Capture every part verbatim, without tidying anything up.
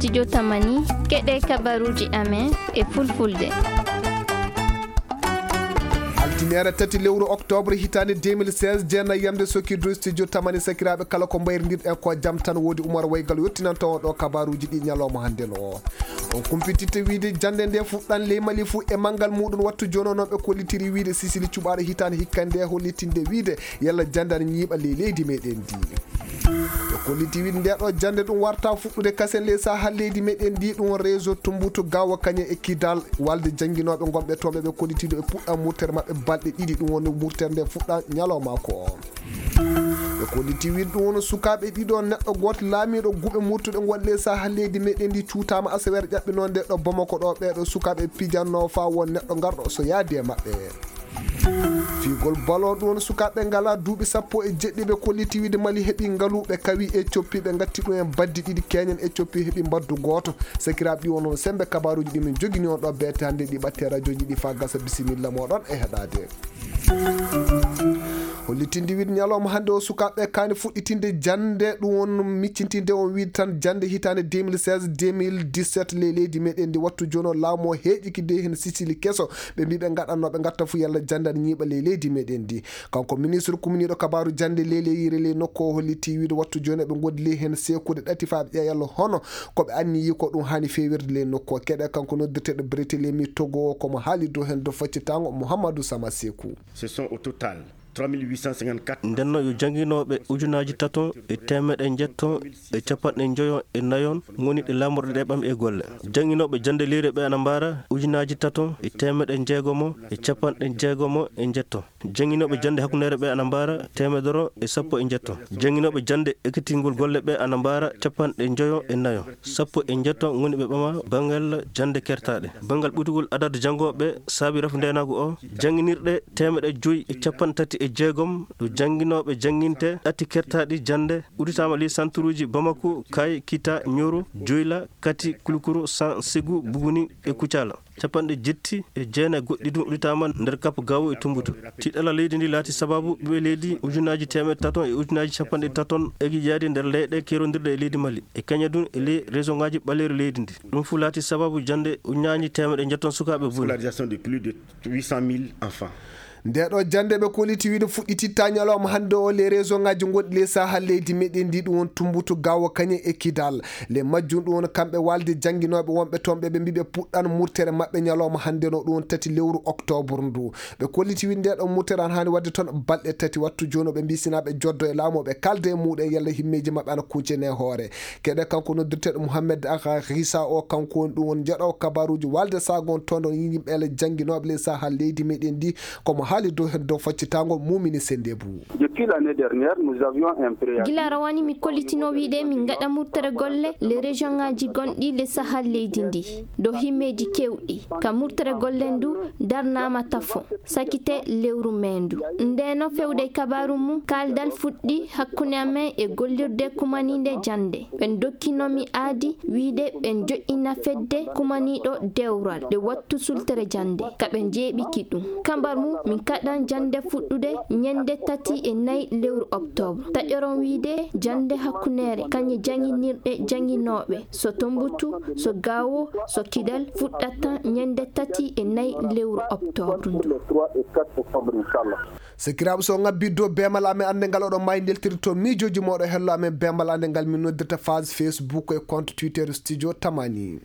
Studio Tamani, keɗe kabaruuji amen e fulfulde. Altineere tati lewru octobre hitaande deux mille seize, jeenayi yamde sokki dow studio Tamani. Sakiraaɓe, kala ko mbayrindirɗen ko jam tan, woodi Umar Waygal yottinanta on ɗo kabaruuji ɗi ñalawma hannde no. On kumpititte wiide jannde nde fuɗɗan ley Mali fuu e manngal muuɗum. Wattu jooni o, noon ɓe kollitiri wiide sisili cuɓaaɗo hitaande hikka nde hollitinde wiide yalla jannde ana ñiiɓa ley leydi meɗen ndi. Ɓe kolliti wiide nde ɗo jannde ɗum warta fuɗɗude kasen ley sahal leydi meɗen ndi, ɗum réseau Tumbutu Gawo Kañe e Kidal, walde jannginooɓe ngonɓe toon ɓe ɓe kollitiiɗo e puɗɗan murtere maɓɓe balɗe ɗiɗi, ɗum woni murtere nde fuɗɗan ñalawma ko o. Ɓe kolliti wiide ɗum woni sukaaɓe ɗiɗo, neɗɗo gooto laamiiɗo guuɓe murtuɗe ngonɗe ley sahal leydi meɗen ndi cuutaama aseweere ƴaɓɓinoo nde ɗo Bamako ɗo, ɓee ɗo sukaaɓe pijannoo faa won neɗɗo ngarɗo so yaadi e maɓɓe. Fiigol ballon ɗum woni sukaaɓe ngalaa duuɓi sappo e jeɗɗi ɓe kolliti wiide Mali heɓi ngalu ɓe kawi Ethiopie ɓe ngatti ɗum en baddi ɗiɗi keñen Ethiopie heɓi mbaddu gooto. Sakiraaɓe ɗi wonno sembe kabaruuji ɗi min jogini on ɗo beete hannde ɗi ɓatte rajooji ɗi faa gasa bisimilla mooɗon e heɗaade. Hollitinde wiide ñalawma hannde o sukaaɓe kaani fuɗɗitinde jannde ɗum won miccintinde on wiide tan jannde hitaande deux mille seize deux mille dix-sept ley leydi meɗen ndi wattu jooni o laamu o heeƴiki de heen sisili keso ɓe mbi ɓe ngaɗannoo ɓe ngatta fuu yalla jannde ana ñiiɓa ley leydi meɗen ndi. Kanko ministre kumniiɗo kabaaru jannde ley leyire ley nokku o holliti wiide wattu jooni eɓe ngoodi ley heen seekude ɗati faa ɓe ƴeewa yalla hono ko ɓe anniyi ko ɗum haani feewirde ley nokku o. Keɗe kanko noddirteeɗo Barthélémy Togo o ko mo haali dow heen dow faccitaango Mouhamadou Sama Seeku. Ce sont au total trois mille huit cent cinquante-quatre. Ndenno yo jannginooɓe ujunaaji taton e teemeɗe njetton e capanɗe njoyon e nayon ngoni ɗe laamorɗe ɗe ɓam e golle. Jannginooɓe jannde leyre ɓe ana mbaara ujunaaji taton e teemeɗe njeegomo e capanɗe jeegomo e njetton. Jannginooɓe jannde hakkundeere ɓe ana mbaara teemedere e sappo e njetton. Jannginooɓe jannde ekkitingol golle ɓe ana mbaara capanɗe njoyon e nayon, sappo e njetton ngoni ɓe ɓama banngal jannde kertaaɗe. Banngal ɓutugol adadu janngooɓe saabi rafu ndeenaagu o, jannginirɗe teemeɗe joy e capanɗe tati e jeegom ɗo jannginooɓe jannginte ɗati kertaaɗi jannde udditaama ley santuruuji Bamako, Kay, Kita, Ñoro, Joyla, Kati, Kulukuro, San, Segu, Buguni e Kucala. Capanɗe jetti e jeenayi goɗɗi ɗum udditaama nder Kap Gawo e Tumbutu. Tiiɗalla leydi ndi laati sababu ɓiɓɓe leydi ujunaaji teemeɗe taton e ujunaaji capanɗe taton egijaade nder leyɗe keerondirɗe e leydi Mali. E kaña ɗum e ley région ngaji ɓaleeri leydi ndi. Ɗum fuu laati sababu jannde ujunaaji teemeɗe njetton sukaaɓe boni. Scolarisation de plus de huit cent mille enfants. Nde ɗo jannde ɓe kolliti wiide fuɗɗititta ñalawma hannde o ley région ngaji gonɗi ley sahal leydi meɗen ndi ɗum won Tumbutu Gawo Kañe e Kidal. Ley majjum ɗum won kamɓe walde jannginooɓe wonɓe toon ɓe ɓe mbi ɓe puɗɗan murtere maɓɓe ñalawma hannde no ɗum won tati lewru octobre ndu. Ɓe kolliti wiide nde ɗo murtere ana haani waɗde toon balɗe tati wattu jooni o ɓe mbi sina ɓe joddo e laamu o ɓe kalda e muɗum yalla himmeeji maɓɓe ana kuncene e hoore. Keɗe kanko noddirteeɗo Mouhamed Agha Ghissa o kanko woni ɗum won njeɗo kabaruuji walde sagon toon ɗon yimɓe ele jannginooɓe ley sahal leydi meɗen ndi. Komo haali dow heen dow faccitaango mumini senndeebu. Depuis l'année dernière, nous avions un préavis. Gila rawani mi kollitino wiide min ngaɗa murtere golle le région ngaji gonɗi le sahal leydi ndi dow himmeeji kewɗi ka murtere golle ndu darnaama tafo sakite lewru meendu. Ndeno fewde e kabaaru mum kaaldal fuɗɗi hakkunde amen e gollirde kumaninde jannde. Ɓe dokkinomi aadi wiide ɓe joɗɗina fedde kumaniiɗo dewral ɗe wattu sultere jannde ka ɓe jeeɓiki ɗum. Kambar mum min kaɗan jannde fuɗɗude ñande tati e nayi lewru octobre. Taƴoron wiide jannde hakkundeere kañe jannginirɗe jannginooɓe so Tombutu, so Gaawo, so Kidal fuɗɗata ñande tati e nayi lewru octobre ndu. Sakiraaɓe, so ngabbiddo beemal amen annde ngal oɗon maayi ndeltirto miijooji mooɗo hello amen beemal annde ngal min noddirta page Facebook e compte Twitter Studio Tamani.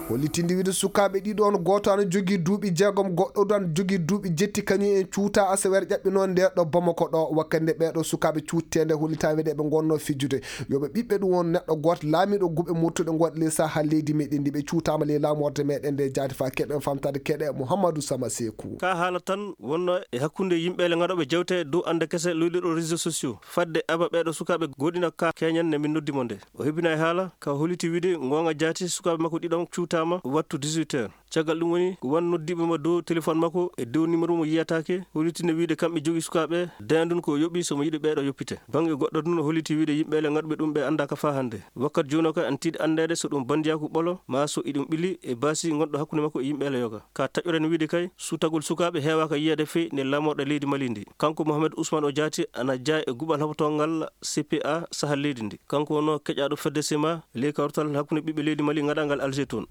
Hollitinde wiide sukaaɓe ɗiɗo on gooto ana jogii duuɓi jeegom goɗɗo du ana jogii duuɓi jetti kañum en cuuta aseweere ƴaɓɓinoo nde ɗo Bamako ɗo wakkande ɓeeɗo sukaaɓe cuutteende hollitaama wiide ɓe ngonnoo fijude. Yo ɓe ɓiɓɓe ɗum won neɗɗo gooto laamiiɗo guuɓe murtuɗe ngonɗe ley saha leydi meɗen ndi ɓe cuutaama ley laamorde meɗen nde jaati faa keɗen famtaade keɗe Mouhamadou Sama Seeku. Ka haala tan wonno e hakkunde yimɓe le ngaɗoɓe jewte dow ande kese luyɗe ɗo réseaux sociaux fadde aba ɓeeɗo sukaaɓe goɗina ka keñen ne min noddi mo nde o hebbina e haala ka holiti wiide ngonga jaati sukaaɓe makko ɗiɗon cuuta Ama wattu dix-huit heures. Caggal ɗum woni, ko wan noddiiɓe mo dow téléphone makko e dow numéro mo yiyataake, hollitii no wiide kamɓe jogii sukaaɓe, dayndun ko o yoɓi so mo yiɗi ɓeeɗo yoppite. Baŋnge goɗɗo tun hollitii wiide yimɓe le ngaɗuɓe ɗum ɓe anndaa ka faa hannde. Wakkati jooni o kay ana tiiɗi anndeede so ɗum banndiyaaku ɓolo, maa so iɗum ɓili e baasi ngonɗo hakkunde makko e yimɓe le yoga. Ka taƴoren wiide kay, sutagol sukaaɓe heewaaka yiyeede fey nder laamorɗe leydi Mali ndi. Kanko Mohamed Ousmane o jaati ana jaa e guɓal haɓotoongal C P A sahal leydi ndi. Kanko wonno keƴaaɗo fedde sema ley kawrital hakkunde ɓiɓɓe leydi Mali ngaɗaangal Alger toon.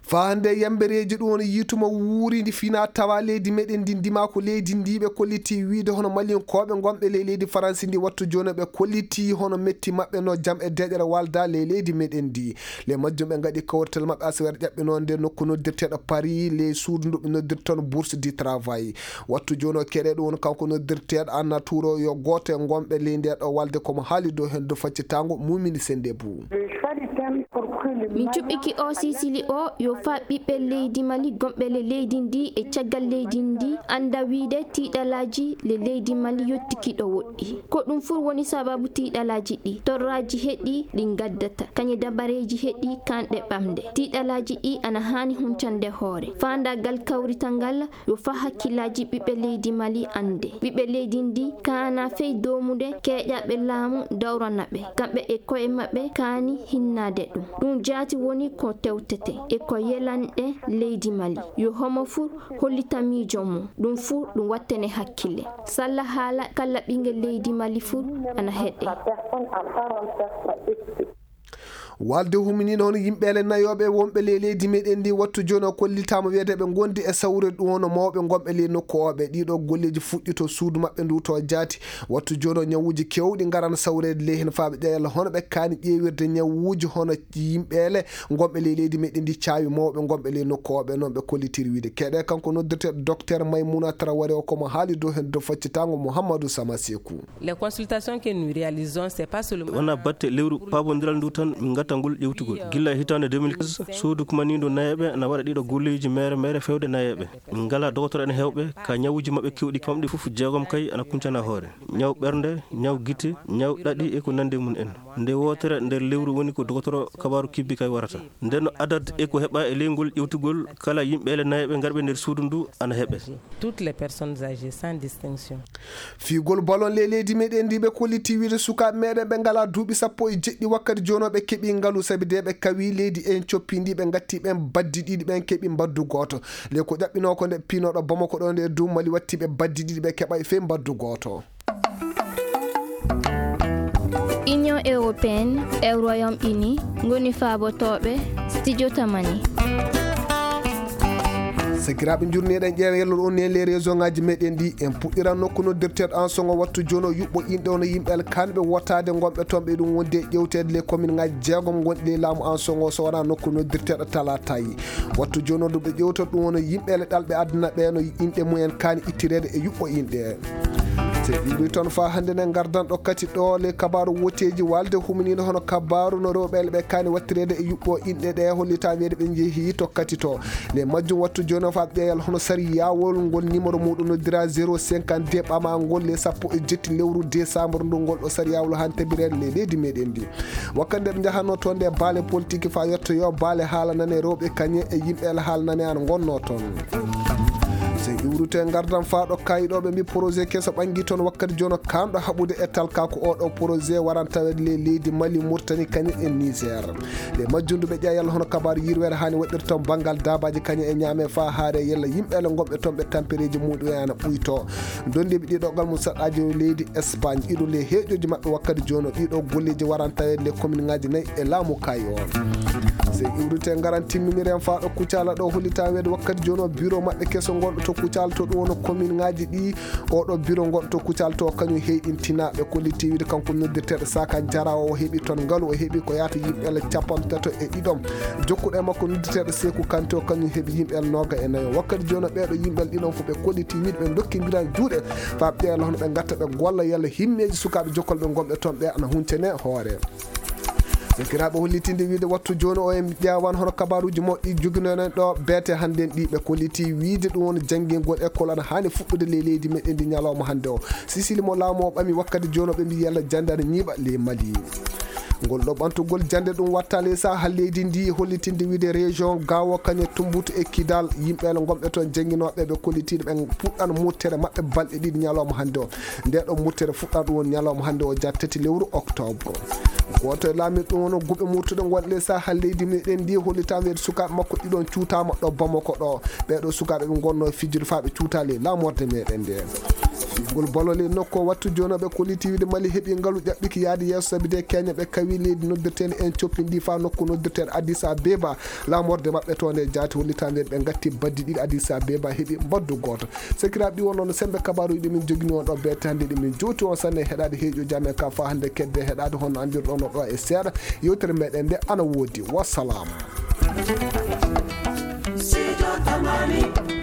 Faa hannde yambereeji ɗum woni yiituma wuurindi fina tawa leydi meɗen ndi ndima ko leydi ndi ɓe kollitii wiide hono Maliyankooɓe ngonɓe ley leydi Faransi ndi wattu jooni ɓe kollitii hono metti maɓɓe no jam e deeƴere walda ley leydi meɗen ndi. Ley majjum ɓe ngaɗi kawrital maɓɓe asaweere ƴaɓɓinoonde nokku noddirteeɗo Paris ley suudu ndu ɓe noddirta toon Bourse du Travail. Wattu jooni o keɗe ɗum woni kanko noddirteeɗo Anna Touro yo gooto e ngonɓe ley nde ɗo walde ko mo haali dow heen dow faccitaango Mumini Sendebou. Min cuɓɓiki o sisili o yo faa ɓiɓɓe leydi Mali gonɓe le leydi ndi e caggal leydi ndi annda wiide tiiɗalaaji le leydi Mali yottiki ɗo woɗɗi. Ko ɗum fuu woni sababu tiiɗalaaji ɗi. Torraaji heɗi ɗi ngaddata, kañe dabareeji heɗi kanɗe ɓamde. Tiiɗalaaji ɗi ana haani huncande hoore. Faandaagal kawrital ngal yo faa hakkillaaji ɓiɓɓe leydi Mali annde. Ɓiɓɓe leydi ndi kaana fey doomude keeƴaaɓe laamu dawrana ɓe. Kamɓe e ko'e maɓɓe kaani hinnaade ɗum. Ɗum jaati woni ko tewtete e ko yelanɗe leydi Mali. Yo homo fuu hollita miijo mum. Ɗum fuu ɗum wattane hakkille. Salla haala kala ɓinngel leydi Mali fuu ana heɗe. Walde huminiino hono yimɓe le nayooɓe wonɓe ley leydi meɗen ndi wattu jooni o kollitaama wiyeede ɓe ngondi e sawre ɗum hono mawɓe ngonɓe ley nokku o ɓe. Ɗiɗo golleeji fuɗɗi to suudu maɓɓe ndu to jaati. Wattu jooni o ñawuuji keewɗi ngarana sawreede ley heen faa ɓe ƴeewa hono ɓe kaani ƴeewirde ñawuuji hono yimɓe le ngonɓe ley leydi meɗen ndi caawi mawɓe ngonɓe ley nokku o ɓe noon ɓe kollitiri wiide. Keɗe kanko noddirteeɗo Docteur Maimouna Traoré o ko mo haali dow heen dow faccitaango Mouhamadou Sama Sekou. Les consultations que nous réalisons, c'est pas seulement wonaa batte lewru paabondiral ndu tan min ngatta ngol ƴewtugol. Gilla e hitaande deux mille quinze, suudu kumaniindo nayeeɓe ana waɗa ɗiɗo golleeji meere meere fewde nayeeɓe. Min ngalaa dogotoro en heewɓe, ka ñawuuji maɓɓe keewɗi kamɓe fof jeegom kay ana kuncana hoore. Ñaw ɓernde, ñaw gite, ñaw ɗaɗi e ko nanndi e mum en. Nde wootere nder lewru woni ko dogotoro kabaaru kibbi kay warata. Nden no adat e ko heɓa e ley ngol ƴewtugol kala yimɓe le nayeeɓe ngarɓe nder suudu ndu ana heɓe. Toutes les personnes âgées sans distinction. Fiigol balon ley leydi meɗen ndi ɓe kolliti wiide sukaaɓe meɗen ɓe ngalaa duuɓi sappo e jeɗɗi wakkati jooni o ɓe keɓi ngalu sabi de ɓe kawi leydi en coppi ndi ɓe ngatti ɓen baddi ɗiɗi ɓen keɓi mbaddu gooto. Ley ko ƴaɓɓinoo ko nde piinooɗo Bamako ɗo nde dow Mali watti ɓe baddi ɗiɗi ɓe keɓa e fey mbaddu gooto. Union européenne e Royaume-Uni ngoni faabotooɓe Studio Tamani. Sakiraaɓe, njurneeɗen ƴeewa yello ɗo on ne les réseau ngaji meɗen ɗi. En puɗɗiran nokku noddirteeɗo Ansogo wattu jooni o yuɓɓo inɗe ono yimɓe alkanɓe wotaade ngonɓe toon ɓe ɗum wonde e ƴewteede les commune ngaji jeegom ngonɗi ley laamu Ansogo so wonaa nokku noddirteeɗo Talatay. Wattu jooni o ndu ɓe ƴewta ɗum wono yimɓe le ɗalɓe aduna ɓe no inɗe mumen kaani ittireede e yuɓɓo inɗe. So en iwri toon faa hannde ne ngardan ɗo kati ɗo le kabaaru woteeji walde huminiino hono kabaaru no rewɓe le ɓe kaani wattireede e yuɓɓo inɗe ɗe hollita wiyeede ɓe njehi to kati to. Le majjum wattu jooni o faa ɓeyal hono sariyawol ngol numéro muɗum noddira zéro cinquante-deux ɓama ngol le sappo e jetti lewru décembre ndu ngol ɗo sariyawol han tabirede le leydi meɗen ndi. Wakkati nde ɓe njahanno toon nde baale politique faa yettoyo baale haala nane rewɓe kañe e yimɓe ala haala nane an ngonno toon. So iwrute ngardan faa ɗo kayi ɗo ɓe mbi projet keso ɓangi toon wakkati jono kanɗo haɓude e talka ko oɗo projet waran tawede le leydi Mali, Mauritanie kañe e Niger. Ɗe majjundu ɓe ƴeewa yalla hono kabaaru yirwere hani waɗirta toon banngal daabaaji kañe e ñaame faa haare yalla yimɓe ala ngonɓe toon ɓe tampereeji muɗum e ana ɓuyto. Dondiiɓe ɗiɗo galmum saɗɗaaji leydi Espagne, ɗiɗo le heeƴooji maɓɓe wakkati jooni o, ɗiɗo golleeji waran taweede le commune ŋaaji nayi e laamu Kayi o. So iwrite ngaran timminiren faa ɗo Kucala ɗo hollitaa weede wakkati jooni o bureau maɓɓe keso ngonɗo to Kucala to ɗum woni commune ŋaaji ɗi, oɗo bureau ngonɗo to Kucala to kañum heyɗintinaa ɓe kolliti wiide kanko noddirteeɗo Saka Jara o heɓi toon ngalu o heɓi ko yaata yimɓe le capanɗe tato e ɗiɗo. Jokkuɗo e makko noddirteeɗo Seeku Kante o kañum heɓi yimɓe nooga e nayo. Wakkati jooni o ɓeeɗo yimɓe ɗiɗon fof ɓe kolliti wiide ɓe ndokkindiran juuɗe faa ɓe ɓeya hono ɓe ngatta ɓe golla yalla himmeeji sukaaɓe jokkolɓe ngonɓe toon ɓe ana huncane hoore. Sakiraaɓe hollitinde wiide wattu jooni o en ƴeewan hono kabaaruuji mawɗi joginoɗen ɗo beete hannden ɗi ɓe kolliti wiide ɗum woni janngingol école ana haani fuɗɗude ley leydi meɗen ndi ñalawma hannde o. Sisili mo laamu o ɓami wakkati jooni o ɓe mbi yalla jannde ana ñiiɓa ley Mali. Ngol ɗo ɓantugol jannde ɗum watta ley saha leydi ndi hollitinde wiide région Gao, Kanye, Tumbutu e Kidal, yimɓe gonɓe toon jannginooɓe ɓe kollitiiɗo ɓe puɗɗan murtere maɓɓe balɗe ɗiɗi ñalawma hannde o. Nde ɗo murtere fuɗɗa ɗum woni ñalawma hannde o, ja tati lewru octobre. Gooto e laamiiɓe ɗum woni guɓe murtuɗe ngonɗe ley saha leydi meɗen ndi hollitaama wiide sukaaɓe makko ɗiɗon cuutaama ɗo Bamako ɗo. Ɓee ɗo sukaaɓe ɓe ngonno fijjude faa ɓe cuuta ley laamorde meɗen nde. Fiyugol bolo ley nokku o wattu jooni o ɓe kolliti wiide Mali heɓi ngalu ƴaɓɓiki yaade yeeso sabi de keñe ɓe kawi leydi noddirteende en coppindi faa nokku noddirteende Addis Abeba. Laamorde maɓɓe to nde jaati hollitaama wiide ɓe ngatti baddi ɗiɗi Addis Abeba heɓi mbaddu gooto. Sakiraaɓe ɗi wonno no sembe kabaaruuji ɗi min jogini on ɗo beete hannde ɗi min jowti on sanne heɗaade heeƴo jam e ka faa hannde kedde heɗaade honno anndirɗon no ɗo e seeɗa. Yewtere meɗen nde ana woodi. Wassalam. Sijo Tamani.